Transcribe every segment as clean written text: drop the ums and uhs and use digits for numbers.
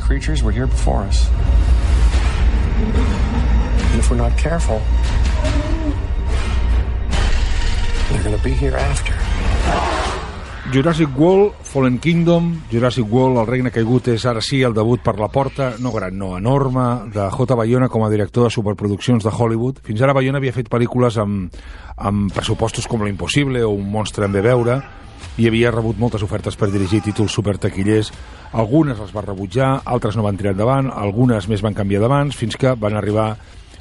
creatures were here before us. And if we're not careful, they're going to be here after. Jurassic World, Fallen Kingdom, Jurassic World, El regne caigut és ara sí el debut per la porta, no gran, no, enorme, de J. Bayona com a director de superproduccions de Hollywood. Fins ara Bayona havia fet pel·lícules amb pressupostos com L'Impossible o Un monstre en ve veure, i havia rebut moltes ofertes per dirigir títols supertaquillers. Algunes les va rebutjar, altres no van tirar endavant, algunes més van canviar d'abans, fins que van arribar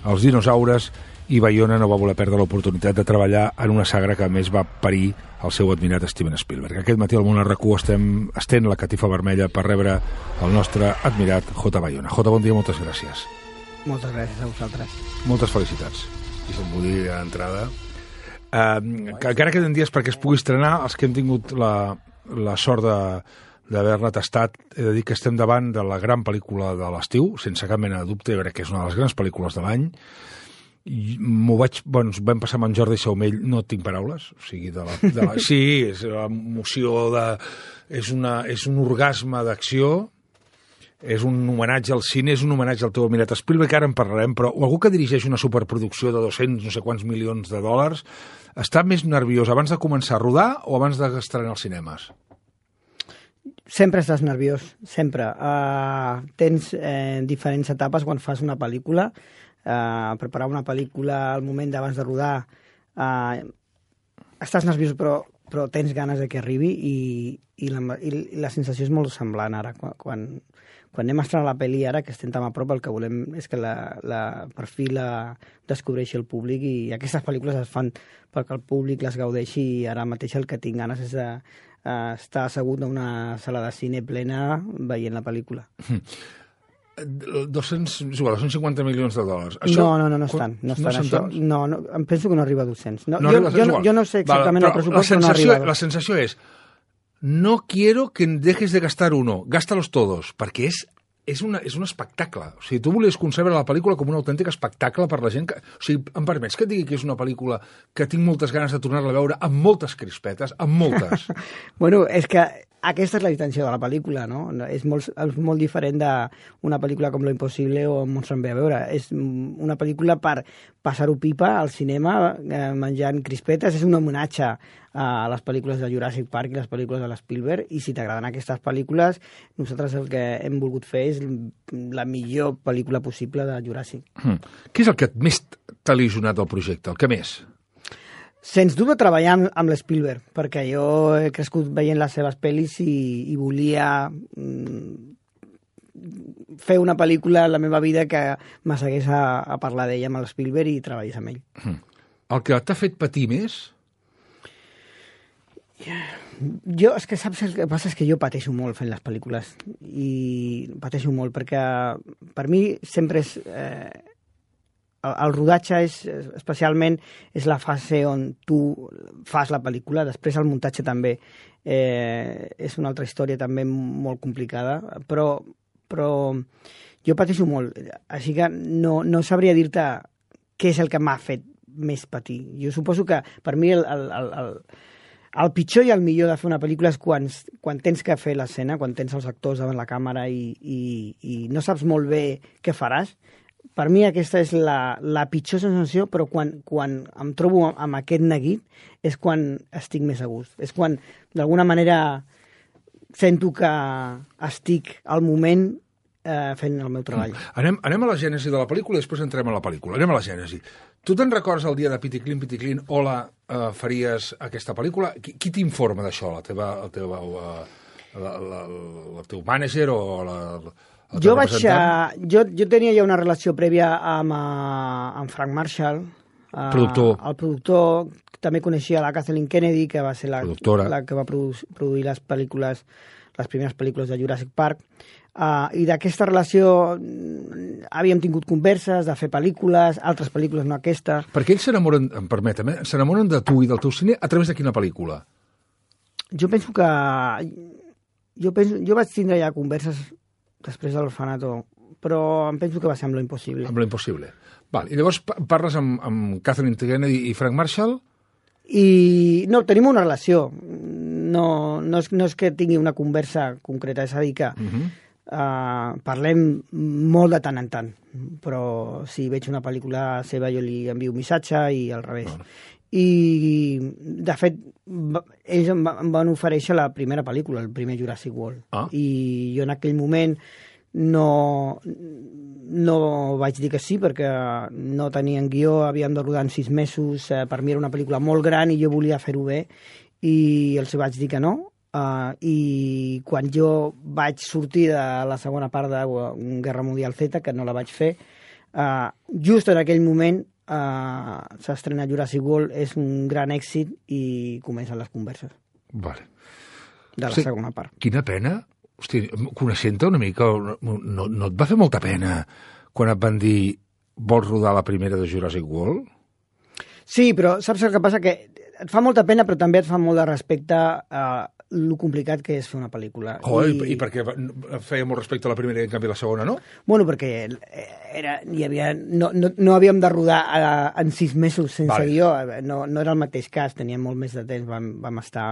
els dinosaures i Bayona no va voler perdre l'oportunitat de treballar en una saga que a més va parir el seu admirat Steven Spielberg. Aquest matí al Món RQ estén la catifa vermella per rebre el nostre admirat J. Bayona. J, bon dia, moltes gràcies. Moltes gràcies a vosaltres. Moltes felicitats, si se'n vull dir d'entrada. Que encara queden dies perquè es pugui estrenar, els que hem tingut la sort d'haver-la tastat, he de dir que estem davant de la gran pel·lícula de l'estiu, sense cap mena de dubte, crec que és una de les grans pel·lícules de l'any. Vam passar amb en Jordi Saumell, no tinc paraules, o sigui, sí, és l'emoció és un orgasme d'acció, és un homenatge al cine, és un homenatge al teu admirat Spielberg, que ara en parlarem, però algú que dirigeix una superproducció de 200 no sé quants milions de dòlars està més nerviós abans de començar a rodar o abans d'estrenar als cinemes? Sempre estàs nerviós, sempre. Tens diferents etapes quan fas una pel·lícula. Preparar una pel·lícula al moment d'abans de rodar, estàs nerviós però tens ganes de que arribi i la sensació és molt semblant ara. Quan anem a estrenar la pel·li ara, que estem tan a prop, el que volem és que per fi la descobreixi el públic, i aquestes pel·lícules es fan perquè el públic les gaudeixi, i ara mateix el que tinc ganes és estar assegut en una sala de cine plena veient la pel·lícula. 250 milions de dòlars. Això, no estan. No estan. No, em penso que no arriba a 200. Jo no sé exactament el pressupost, però no arriba. La sensació és, no quiero que dejes de gastar uno, gástalos todos, perquè és un espectacle. O sigui, tu volies concebre la pel·lícula com un autèntic espectacle per la gent que... O sigui, em permets que et digui que és una pel·lícula que tinc moltes ganes de tornar-la a veure, amb moltes crispetes, amb moltes. Bueno, és que aquesta és la intenció de la pel·lícula, no? És molt diferent d'una pel·lícula com Lo Impossible o Un monstre en ve veure. És una pel·lícula per passar-ho pipa al cinema, menjant crispetes. És un homenatge a les pel·lícules de Jurassic Park i les pel·lícules de l'Spielberg, i si t'agraden aquestes pel·lícules, nosaltres el que hem volgut fer és la millor pel·lícula possible de Jurassic. Què és el que més t'ha il·lusionat del projecte? El que més? Sens dubte treballar amb l'Spielberg, perquè jo he crescut veient les seves pel·lis i volia fer una pel·lícula en la meva vida que m'assegués a parlar d'ella amb l'Spielberg i treballés amb ell. El que t'ha fet patir més? És que saps el que passa és que jo pateixo molt fent les pel·lícules, i pateixo molt perquè per mi sempre és... El rodatge especialment és la fase on tu fas la pel·lícula. Després el muntatge també és una altra història també molt complicada, però jo pateixo molt, així que no sabria dir-te què és el que m'ha fet més patir. Jo suposo que per mi el pitjor i el millor de fer una pel·lícula és quan tens que fer l'escena, quan tens els actors davant la càmera i no saps molt bé què faràs. Per mi aquesta és la pitjor sensació, però quan em trobo amb aquest neguit és quan estic més a gust. És quan, d'alguna manera, sento que estic al moment fent el meu treball. Anem a la gènesi de la pel·lícula i després entrem a la pel·lícula. Anem a la gènesi. Tu te'n recordes el dia de Piticlin, hola, faries aquesta pel·lícula? Qui t'informa d'això? El teu mànager o Jo tenia ja una relació prèvia amb Frank Marshall, el productor. També coneixia la Kathleen Kennedy, que va ser la que va produir les primeres pel·lícules de Jurassic Park. I d'aquesta relació havíem tingut converses de fer pel·lícules, altres pel·lícules, no aquesta. Perquè ells s'enamoren de tu i del teu cine a través de quina pel·lícula? Jo penso que... Jo vaig tindre ja converses després de l'Orfanato, però em penso que va ser amb Lo Impossible. Amb Lo Impossible. Val. I llavors parles amb Kathleen Kennedy i Frank Marshall? No, tenim una relació. No és que tingui una conversa concreta, és a dir que parlem molt de tant en tant, però si veig una pel·lícula seva jo li envio un missatge i al revés. Bueno. I, de fet, ells em van oferèixer la primera pel·lícula, el primer Jurassic World. I jo en aquell moment no vaig dir que sí, perquè no tenien guió, havíem de rodar en 6 mesos, per mi era una pel·lícula molt gran i jo volia fer-ho bé, i els vaig dir que no. I quan jo vaig sortir de la segona part de Guerra Mundial Z, que no la vaig fer, just en aquell moment s'estrena Jurassic World, és un gran èxit i comencen les converses. Vale. De la segona part. Quina pena. Hosti, coneixent-te una mica, no et va fer molta pena quan et van dir vols rodar la primera de Jurassic World? Sí, però saps el que passa? Que et fa molta pena, però també et fa molt de respecte a lo complicat que és fer una pel·lícula. I per què feia molt respecte a la primera i en canvi la segona, no? Bueno, perquè no havíem de rodar en 6 mesos sense guió. No era el mateix cas, teníem molt més de temps. Vam estar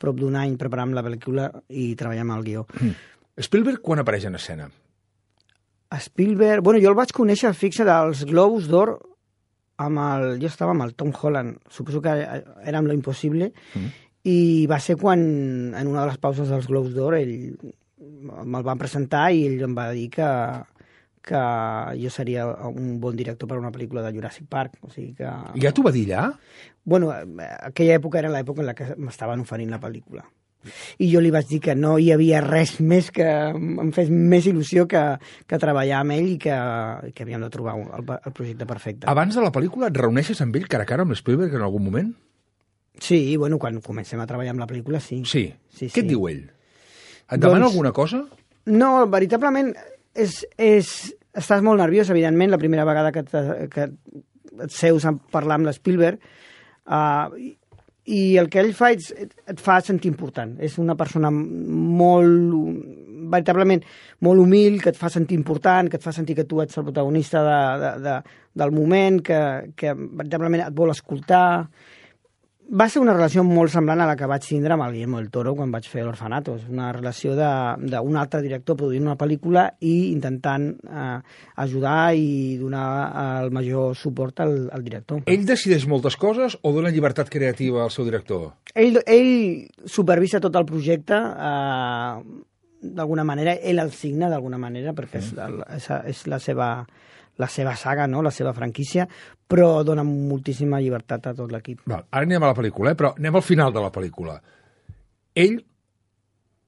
prop d'un any preparant la pel·lícula i treballant amb el guió. Spielberg quan apareix en escena? Spielberg... Bueno, jo el vaig conèixer fixa dels Globus d'Or jo estava amb el Tom Holland, suposo que era amb Lo Impossible, i va ser quan, en una de les pauses dels Globus d'Or, ell me'l van presentar i ell em va dir que jo seria un bon director per a una pel·lícula de Jurassic Park. O sigui que... Ja t'ho va dir allà? Bueno, aquella època era l'època en la que m'estaven oferint la pel·lícula. I jo li vaig dir que no hi havia res més que em fes més il·lusió que treballar amb ell i que havíem de trobar el projecte perfecte. Abans de la pel·lícula et reuneixes amb ell cara a cara amb Spielberg en algun moment? Sí, bueno, quan comencem a treballar amb la pel·lícula, sí. Sí? Què et diu ell? Et demana alguna cosa? No, veritablement estàs molt nerviós, evidentment, la primera vegada que et seus a parlar amb l'Spielberg, i el que ell fa et fa sentir important. És una persona veritablement molt humil, que et fa sentir important, que et fa sentir que tu ets el protagonista del moment, que veritablement et vol escoltar. Va ser una relació molt semblant a la que vaig tindre amb el Guillermo del Toro quan vaig fer l'Orfanato. És una relació d'un altre director produint una pel·lícula i intentant ajudar i donar el major suport al director. Ell decideix moltes coses o dona llibertat creativa al seu director? Ell supervisa tot el projecte, d'alguna manera, ell el signa d'alguna manera, perquè és la seva saga, no? La seva franquícia, però dona moltíssima llibertat a tot l'equip. Ara anem a la pel·lícula, però anem al final de la pel·lícula. Ell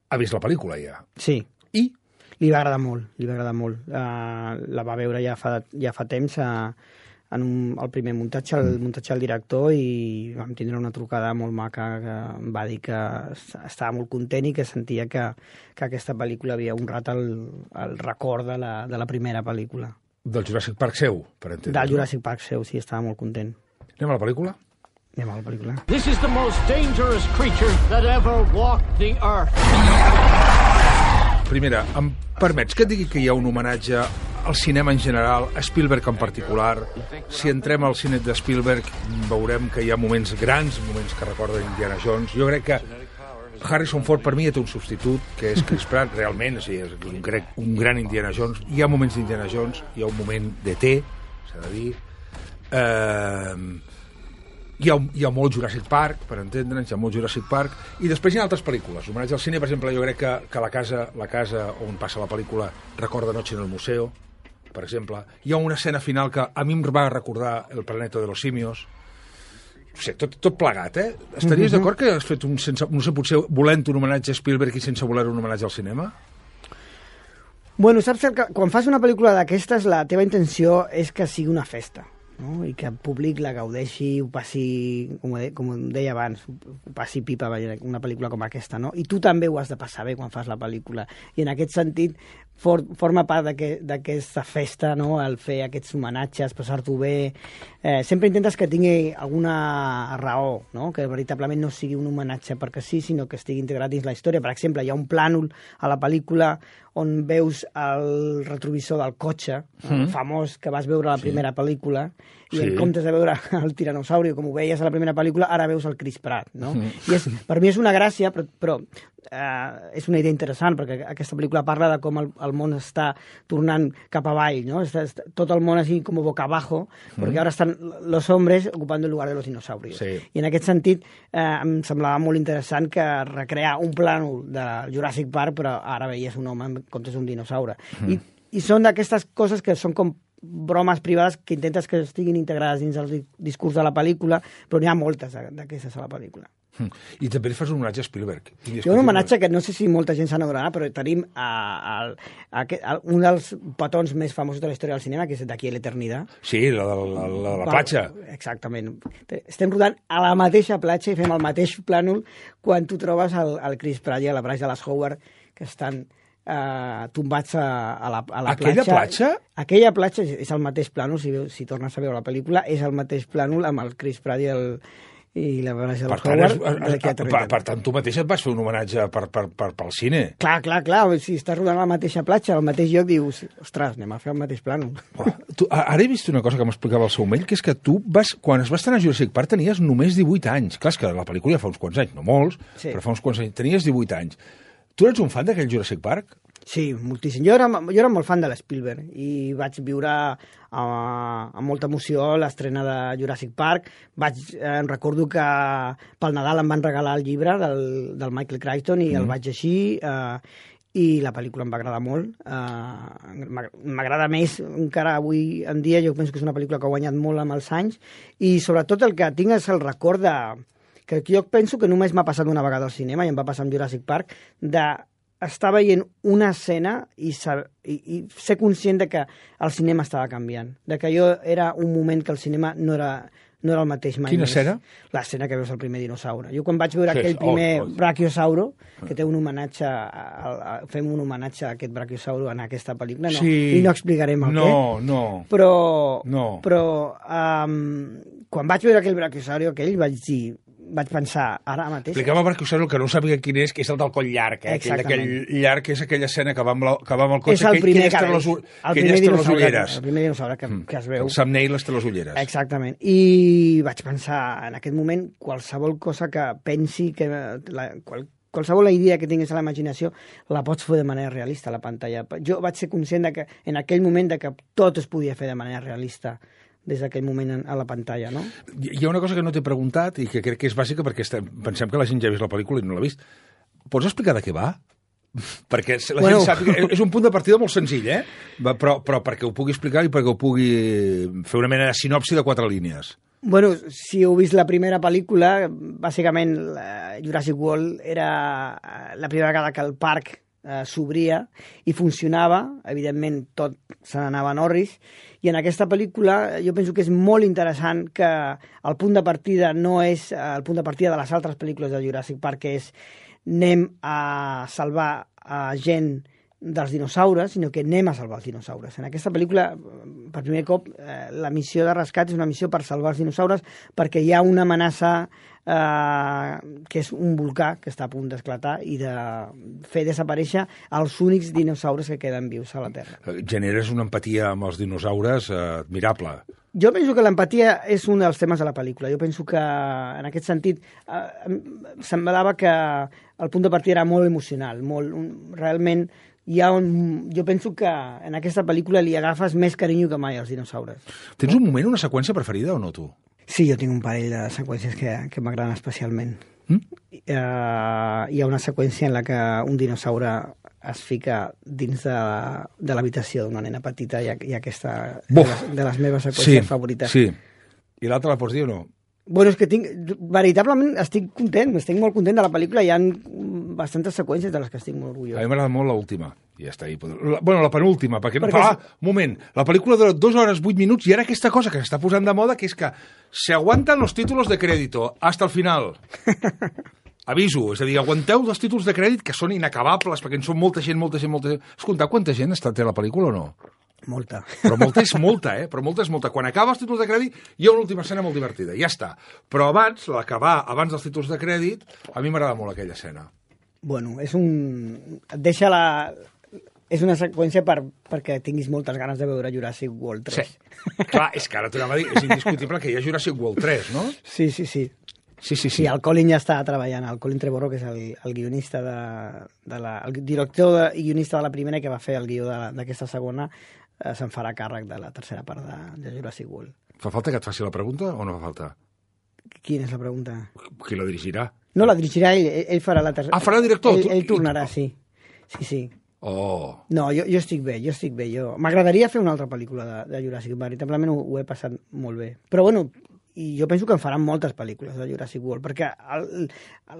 ha vist la pel·lícula ja. Sí. I? Li va agradar molt. La va veure ja fa temps en el primer muntatge, el muntatge del director, i vam tindre una trucada molt maca que em va dir que estava molt content i que sentia que aquesta pel·lícula havia honrat el record de la primera pel·lícula. Del Jurassic Park seu, per entendre. Del Jurassic Park seu, sí, estava molt content. Anem a la pel·lícula? Anem a la pel·lícula. This is the most dangerous creature that ever walked the earth. Primera, em permets que et digui que hi ha un homenatge al cinema en general, a Spielberg en particular? Si entrem al cine de Spielberg veurem que hi ha moments grans, moments que recorden Indiana Jones. Jo crec que Harrison Ford per mi té un substitut, que és Chris Pratt, realment, és un gran Indiana Jones. Hi ha moments d'Indiana Jones, hi ha un moment d'E.T., s'ha de dir. Hi ha molt Jurassic Park, per entendre'ns, hi ha molt Jurassic Park, i després hi ha altres pel·lícules. Homenatge al cine, per exemple, jo crec que la casa on passa la pel·lícula recorda Noche en el Museo, per exemple. Hi ha una escena final que a mi em va recordar El planeta de los simios. No sé, tot plegat, eh? Estaries d'acord que has fet no sé, potser volent un homenatge a Spielberg i sense voler un homenatge al cinema? Bueno, saps que quan fas una pel·lícula d'aquestes, la teva intenció és que sigui una festa, no? I que el públic la gaudeixi, ho passi, com deia abans, ho passi pipa una pel·lícula com aquesta, no? I tu també ho has de passar bé quan fas la pel·lícula. I en aquest sentit forma part d'aquesta festa, no? El fer aquests homenatges, passar-t'ho bé. Sempre intentes que tingui alguna raó, no? Que veritablement no sigui un homenatge perquè sí, sinó que estigui integrat dins la història. Per exemple, hi ha un plànol a la pel·lícula on veus el retrovisor del cotxe, famós, que vas veure a la primera pel·lícula, i en comptes de veure el tiranosauri, com ho veies a la primera pel·lícula, ara veus el Chris Pratt, no? I per mi és una gràcia, però és una idea interessant, perquè aquesta pel·lícula parla de com el món està tornant cap avall, no? Tot el món així com boca abajo, perquè ara estan los hombres ocupant el lugar de los dinosaurios. Sí. I en aquest sentit em semblava molt interessant que recrear un plànol de Jurassic Park, però ara veies un home en comptes d'un dinosaure. I són d'aquestes coses que són com bromes privades que intentes que estiguin integrades dins el discurs de la pel·lícula, però n'hi ha moltes d'aquestes a la pel·lícula. I també li fas un homenatge a Spielberg. Hi ha un homenatge que no sé si molta gent se n'adonarà, però tenim un dels petons més famosos de la història del cinema, que és D'aquí a l'Eternitat. Sí, la de la platja. Exactament. Estem rodant a la mateixa platja i fem el mateix plànol quan tu trobes el Chris Pratt i la Bryce Dallas Howard, que estan tombats a la platja. Aquella platja? Aquella platja és el mateix plànol, si tornes a veure la pel·lícula, és el mateix plànol amb el Chris Pratt i la Bryce Dallas Howard. Per tant, tu mateix et vas fer un homenatge pel cine. Clar. Si estàs rodant a la mateixa platja, al mateix lloc, dius, ostres, anem a fer el mateix plànol. Ara he vist una cosa que m'explicava el Saumell, que és que tu quan es va estrenar Jurassic Park tenies només 18 anys. Clar, és que la pel·lícula ja fa uns quants anys, no molts, però fa uns quants anys. Tenies 18 anys. Tu eres un fan d'aquell Jurassic Park? Sí, moltíssim. Jo era molt fan de l'Spielberg i vaig viure amb molta emoció l'estrena de Jurassic Park. Em recordo que pel Nadal em van regalar el llibre del Michael Crichton i el vaig llegir i la pel·lícula em va agradar molt. M'agrada més encara avui en dia. Jo penso que és una pel·lícula que ha guanyat molt amb els anys i sobretot el que tinc és el record que jo penso que només m'ha passat una vegada al cinema i em va passar amb Jurassic Park, estar veient una escena i ser conscient de que el cinema estava canviant, de que era un moment que el cinema no era el mateix mai. Quina escena? L'escena que veus el primer dinosaure. Jo quan vaig veure aquell primer brachiosauro, que té un homenatge, fem un homenatge a aquest brachiosauro en aquesta pel·lícula, i no explicarem el què. Però quan vaig veure aquell brachiosauro vaig pensar, ara mateix... Explicava perquè el que no sàpiga quin és, que és el del coll llarg, aquell llarg, que és aquella escena que va amb el cotxe, és el primer ulleres. El primer dinosaure que es veu. El Sam Neill té les ulleres. Exactament. I vaig pensar, en aquest moment, qualsevol cosa que pensi, qualsevol idea que tinguis a la imaginació, la pots fer de manera realista a la pantalla. Jo vaig ser conscient que en aquell moment que tot es podia fer de manera realista des d'aquell moment a la pantalla, no? Hi ha una cosa que no t'he preguntat i que crec que és bàsica perquè pensem que la gent ja ha vist la pel·lícula i no l'ha vist. Pots explicar de què va? Perquè la gent sàpiga... És un punt de partida molt senzill, però perquè ho pugui explicar i perquè ho pugui fer una mena de sinopsi de 4 línies. Bueno, si heu vist la primera pel·lícula, bàsicament Jurassic World era la primera vegada que el parc s'obria i funcionava, evidentment tot se n'anava en orris, i en aquesta pel·lícula jo penso que és molt interessant que el punt de partida no és el punt de partida de les altres pel·lícules de Jurassic Park, que és anem a salvar gent dels dinosaures, sinó que anem a salvar els dinosaures. En aquesta pel·lícula, per primer cop, la missió de rescat és una missió per salvar els dinosaures perquè hi ha una amenaça que és un volcà que està a punt d'esclatar i de fer desaparèixer els únics dinosaures que queden vius a la Terra. Generes una empatia amb els dinosaures admirable. Jo penso que l'empatia és un dels temes de la pel·lícula. Jo penso que, en aquest sentit, semblava que el punt de partida era molt emocional, realment jo penso que en aquesta pel·lícula li agafes més carinyo que mai als dinosaures. Tens un moment, una seqüència preferida o no, tu? Sí, jo tinc un parell de seqüències que m'agraden especialment. Hi ha una seqüència en la que un dinosaure es fica dins de l'habitació d'una nena petita i aquesta de les meves seqüències favorites. Sí, i l'altra la pots dir o no? Bueno, és que veritablement estic content, estic molt content de la pel·lícula, hi ha bastantes seqüències de les que estic molt orgullós. A mi m'agrada molt l'última, i ja està ahí. Bueno, la penúltima, perquè un moment, la pel·lícula dura 2 hores 8 minuts i ara aquesta cosa que s'està posant de moda, que és que se aguanten los títulos de crédito hasta el final. Aviso, és a dir, aguanteu els títols de crèdit que són inacabables, perquè en són molta gent. Has comptat quanta gent té la pel·lícula o no? Molta. Però molta és molta, Però molta és molta. Quan acaba els títols de crèdit hi ha una última escena molt divertida, ja està. Però l'acabar abans dels títols de crèdit, a mi m'agrada molt aquella escena. Bueno, és una seqüència perquè tinguis moltes ganes de veure Jurassic World 3. Sí. Clar, és que ara t'anava a dir, és indiscutible que hi ha Jurassic World 3, no? Sí. Sí, el Colin ja està treballant, el Colin Trevorrow, que és el guionista el director i guionista de la primera, que va fer el guió d'aquesta segona, se'n farà càrrec de la tercera part de Jurassic World. Fa falta que et faci la pregunta o no fa falta? Quina és la pregunta? Qui la dirigirà? No, la dirigirà ell farà la tercera... Ah, farà el director? Ell tornarà, sí. Sí. Oh. No, jo estic bé. M'agradaria fer una altra pel·lícula de Jurassic. Veritablement ho he passat molt bé. Però bueno, i jo penso que en faran moltes pel·lícules de Jurassic World, perquè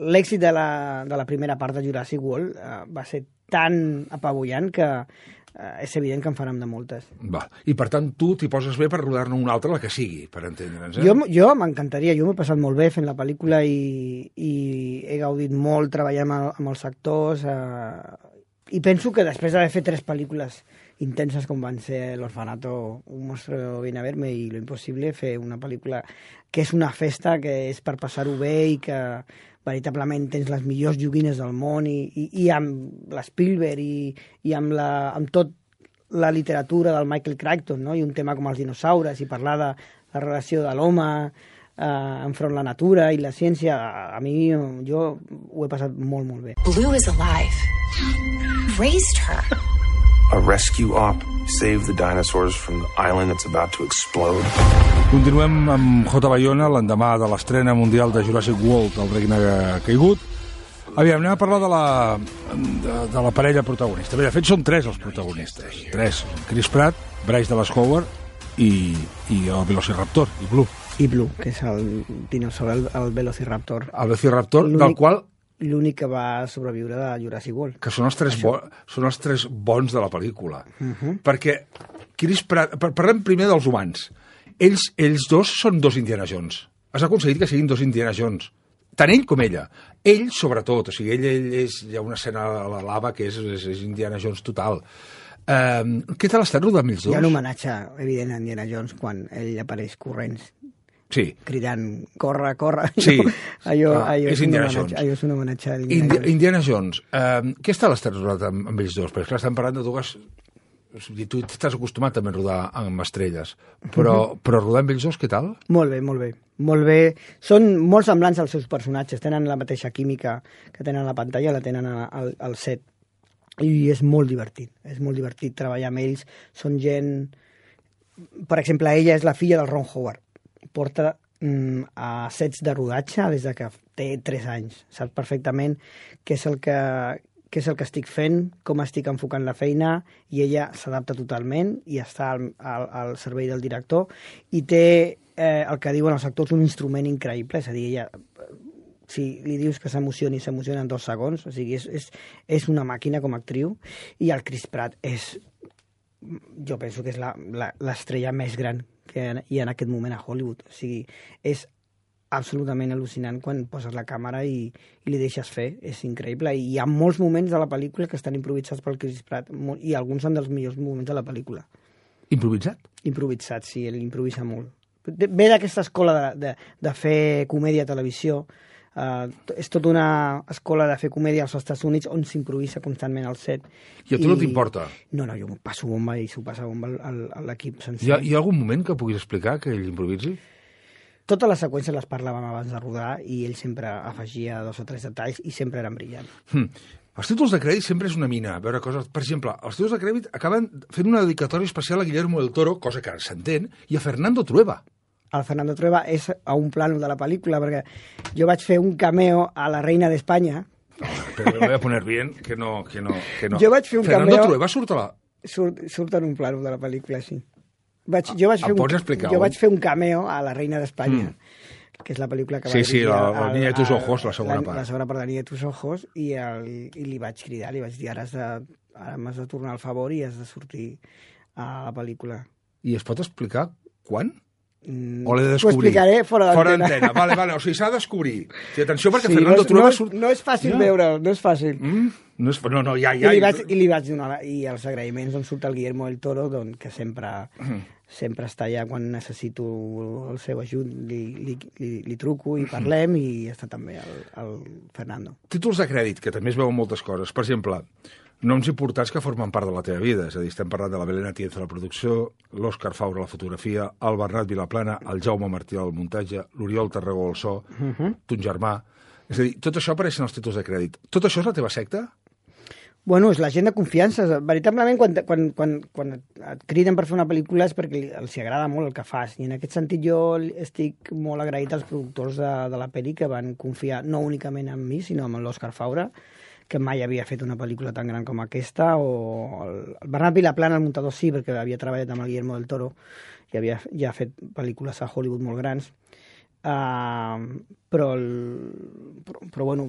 l'èxit de la primera part de Jurassic World va ser tan apabullant que és evident que en farem de moltes. Va. I per tant, tu t'hi poses bé per rodar-ne una altra, la que sigui, per entendre'ns, Jo m'encantaria, jo m'he passat molt bé fent la pel·lícula i he gaudit molt treballant amb els actors i penso que després d'haver fet 3 pel·lícules intenses com van ser L'Orfanato, Un monstruo viene a verme i Lo imposible, fer una pel·lícula que és una festa, que és per passar-ho bé i que veritablement tens les millors joguines del món i amb l'Spielberg i amb tot la literatura del Michael Crichton, no? I un tema com els dinosaures i parlar de la relació de l'home enfront la natura i la ciència, a mi jo ho he passat molt, molt bé. Blue is alive. Raised her. A rescue op saved the dinosaurs from the island that's about to explode. Continuem amb J. Bayona l'endemà de l'estrena mundial de Jurassic World, El regne caigut. Aviam, anem a parlar de la parella protagonista. Bé, de fet, són 3 els protagonistes. 3. Chris Pratt, Bryce Dallas Howard i el Velociraptor, i Blue. I Blue, que és el dinosaure, el Velociraptor. El Velociraptor, del qual... L'únic que va sobreviure de Jurassic World. Que són els 3 bons de la pel·lícula. Perquè Chris Pratt... Parlem primer dels humans. Ells dos són 2 Indiana Jones. Has aconseguit que siguin 2 Indiana Jones. Tant ell com ella. Ell, sobretot. O sigui, ell és... Hi ha una escena a la lava que és Indiana Jones total. Què tal estat rodant ells dos? Hi ha un homenatge evident a Indiana Jones quan ell apareix corrents. Sí. Cridant, corre. Sí. Allò és Indiana Jones. Allò és un homenatge a Indiana Jones. Què està l'estat rodat amb ells dos? Perquè clar, estem parlant de dues... O sigui, tu estàs acostumat també a rodar amb estrelles, però rodar amb ells dos, què tal? Molt bé. Molt bé. Són molt semblants als seus personatges. Tenen la mateixa química que tenen a la pantalla, la tenen al set. I és molt divertit. És molt divertit treballar amb ells. Són gent... Per exemple, ella és la filla del Ron Howard. Porta a sets de rodatge des de que té 3 anys. Sap perfectament què és el que estic fent, com estic enfocant la feina, i ella s'adapta totalment i està al servei del director i té el que diuen els actors un instrument increïble, és a dir, ella si li dius que s'emociona en 2 segons, o sigui, és una màquina com a actriu, i el Chris Pratt jo penso que és l'estrella més gran que hi ha en aquest moment a Hollywood. O sigui, és absolutament al·lucinant quan poses la càmera i li deixes fer. És increïble. I hi ha molts moments de la pel·lícula que estan improvisats pel Chris Pratt i alguns són dels millors moments de la pel·lícula. Improvisat? Improvisat, sí, ell improvisa molt. Ve d'aquesta escola de fer comèdia a televisió. És tota una escola de fer comèdia als Estats Units on s'improvisa constantment al set. I a tu no t'importa? No, jo passo bomba i s'ho passa bomba a l'equip sencer. Hi ha algun moment que puguis explicar que ell improvisi? Totes les seqüències les parlàvem abans de rodar i ell sempre afegia 2 o 3 detalls i sempre eren brillants. Els títols de crèdit sempre és una mina. A veure coses... Per exemple, els títols de crèdit acaben fent una dedicatòria especial a Guillermo del Toro, cosa que s'entén, i a Fernando Trueba. El Fernando Trueba és a un plano de la pel·lícula, perquè jo vaig fer un cameo a la reina d'Espanya. Però me voy a poner bien, que no. Jo vaig fer un Fernando cameo... Trueba surt a la... Surt en un plano de la pel·lícula, sí. Pots explicar? Jo vaig fer un cameo a la reina d'Espanya, que és la pel·lícula que va dirigir... Sí, la Niña de tus ojos, la segona part. La segona part de la Niña de tus ojos, i li vaig cridar, li vaig dir, ara m'has de tornar el favor i has de sortir a la pel·lícula. I es pot explicar quan? O l'he de descobrir? Ho explicaré fora d'antena. Vale, o sigui, s'ha de descobrir. Sí, atenció, perquè Fernando Trueba surt... No és fàcil veure'l, no és fàcil. No, ja. I li vaig donar... I els agraïments on surt el Guillermo del Toro, que sempre està allà quan necessito el seu ajut, li truco i parlem, i està també el Fernando. Títols de crèdit, que també es veuen moltes coses. Per exemple, Noms importants que formen part de la teva vida. És a dir, estem parlant de la Belén Atienza a la producció, l'Òscar Faura a la fotografia, el Bernat Vilaplana, el Jaume Martí al muntatge, l'Oriol Tarragó al so, ton germà... És a dir, tot això apareix en els títols de crèdit. Tot això és la teva secta? Bueno, és la gent de confiança. Veritablement, quan et criden per fer una pel·lícula és perquè els agrada molt el que fas. I en aquest sentit jo estic molt agraït als productors de la pel·li que van confiar no únicament en mi, sinó en l'Òscar Faura, que mai havia fet una pel·lícula tan gran com aquesta, o el Bernat Vilaplana, el muntador, sí, perquè havia treballat amb el Guillermo del Toro i havia ja fet pel·lícules a Hollywood molt grans. Però bueno,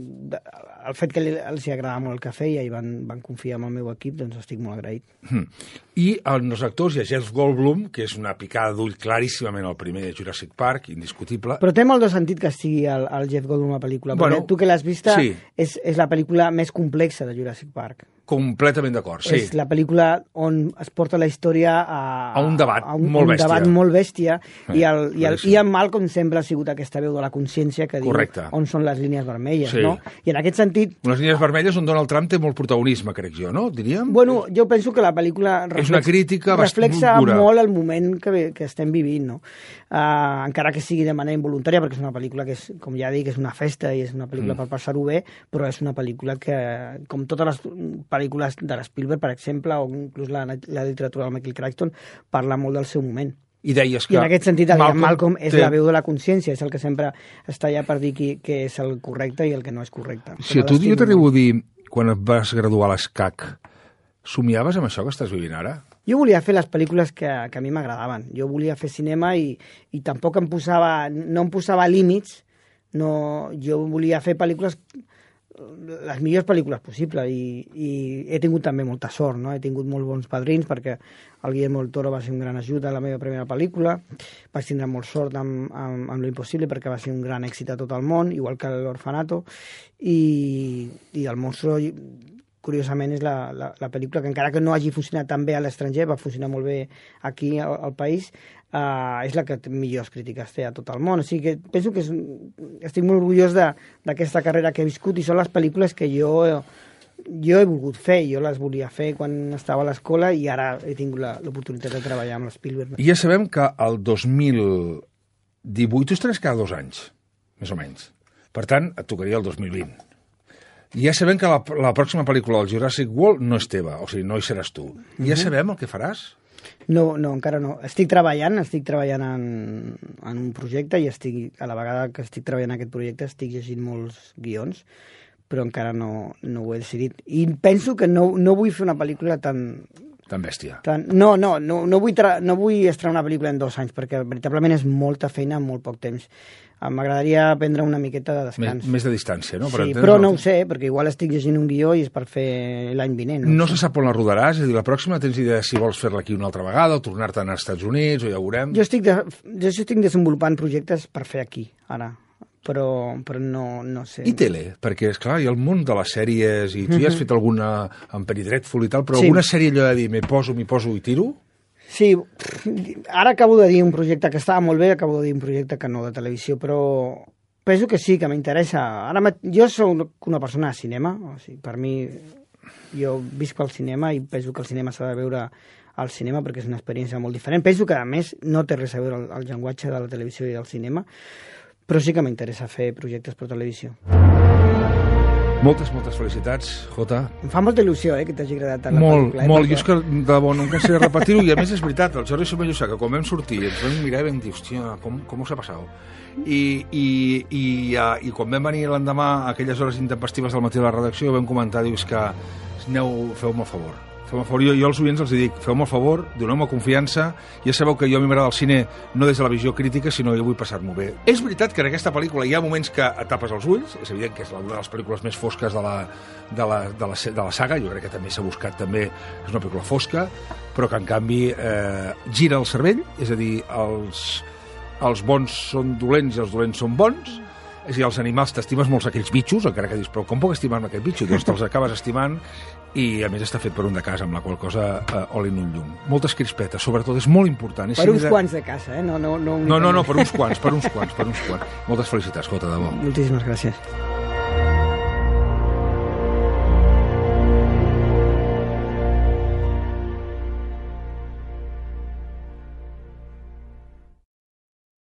el fet que els agradava molt el que feia i van confiar en el meu equip, doncs estic molt agraït. I en els actors hi ha Jeff Goldblum, que és una picada d'ull claríssimament el primer de Jurassic Park, indiscutible. Però té molt de sentit que estigui el Jeff Goldblum a la pel·lícula, bueno, perquè tu que l'has vista, sí. és la pel·lícula més complexa de Jurassic Park. Completament d'acord, sí. És la pel·lícula on es porta la història a un debat molt bèstia, i Ian Malcolm sempre ha sigut aquesta veu de la consciència que correcte. Diu on són les línies vermelles, sí. no? I en aquest sentit... Les línies vermelles on Donald Trump té molt protagonisme, crec jo, no? Diríem? Bueno, jo penso que la pel·lícula reflexa molt el moment que estem vivint, no? Encara que sigui de manera involuntària, perquè és una pel·lícula que, com ja dic, és una festa i és una pel·lícula per passar-ho bé, però és una pel·lícula que, com totes les pel·lícules de l'Spielberg, per exemple, o inclús la literatura del Michael Crichton, parla molt del seu moment. I deies que... I en aquest sentit, Malcolm és la veu de la consciència, és el que sempre està allà per dir què és el correcte i el que no és correcte. Si jo t'arribo a dir, quan et vas graduar a l'ESCAC, somiaves amb això que estàs vivint ara? Jo volia fer les pel·lícules que a mi m'agradaven. Jo volia fer cinema i tampoc no em posava límits. Jo volia fer pel·lícules, les millors pel·lícules possibles, i he tingut també molta sort, no? He tingut molt bons padrins, perquè el Guillermo del Toro va ser un gran ajuda a la meva primera pel·lícula. Vaig tindre molt sort amb Lo Impossible, perquè va ser un gran èxit a tot el món, igual que l'Orfanato, i El Monstruo, curiosament, és la pel·lícula que, encara que no hagi funcionat tan bé a l'estranger, va funcionar molt bé aquí al país, és la que millors crítiques té a tot el món. O sigui que penso que estic molt orgullós d'aquesta carrera que he viscut, i són les pel·lícules que jo he volgut fer. Jo les volia fer quan estava a l'escola i ara he tingut l'oportunitat de treballar amb l'Spielberg. I ja sabem que el 2018 tu estaràs cada 2 anys, més o menys. Per tant, et tocaria el 2020. I ja sabem que la pròxima pel·lícula del Jurassic World no és teva, o sigui, no hi seràs tu. Ja sabem el que faràs? No, encara no. Estic treballant en un projecte, i a la vegada que estic treballant en aquest projecte estic llegint molts guions, però encara no ho he decidit. I penso que no vull fer una pel·lícula tan bèstia. No vull estrenar una pel·lícula en 2 anys, perquè veritablement és molta feina en molt poc temps. M'agradaria prendre una miqueta de descans. Més de distància, no? Sí, però no ho sé, perquè igual estic llegint un guió i és per fer l'any vinent. No se sap on la rodaràs? És a dir, la pròxima tens idea si vols fer-la aquí una altra vegada o tornar-te'n als Estats Units, o ja ho veurem? Jo estic desenvolupant projectes per fer aquí, ara. Però no sé. I tele? Perquè, esclar, hi ha el món de les sèries, i tu ja has fet alguna amb Penny Dreadful i tal, però alguna sèrie allò de dir, m'hi poso i tiro? Sí, ara acabo de dir un projecte que estava molt bé, acabo de dir un projecte que no de televisió, però penso que sí, que m'interessa. Jo soc una persona de cinema, o sigui, per mi, jo visc pel cinema i penso que el cinema s'ha de veure al cinema perquè és una experiència molt diferent. Penso que, a més, no té res a veure el llenguatge de la televisió i del cinema, però sí que m'interessa fer projectes per televisió. Moltes felicitats, Jota. Em fa molta il·lusió, que t'hagi agradat tant la pel·lícula. Molt. Jo és que, de debò, no em cansaré de repetir-ho, i a més és veritat, el Jordi Somellosa, que quan vam sortir ens vam mirar i vam dir, hòstia, com us ha passat? I quan vam venir l'endemà a aquelles hores intempestives del matí a la redacció, vam comentar, dius que feu-me el favor. Jo als oients els dic, feu-me el favor, doneu-me confiança, ja sabeu que jo a mi m'agrada el cine no des de la visió crítica, sinó que vull passar-m'ho bé. És veritat que en aquesta pel·lícula hi ha moments que et tapes els ulls, és evident que és una de les pel·lícules més fosques de la saga, jo crec que també s'ha buscat, també és una pel·lícula fosca, però que en canvi gira el cervell, és a dir, els bons són dolents i els dolents són bons. És a dir, els animals, t'estimes molts aquells bitxos, encara que dius, però com puc estimar-me aquest bitxo? Doncs te'ls acabes estimant, i a més està fet per un de casa, amb la qual cosa oli en un llum. Moltes crispetes, sobretot, és molt important. Per uns quants de casa, eh? No, per uns quants. Moltes felicitats, Jota, de bo. Moltíssimes gràcies.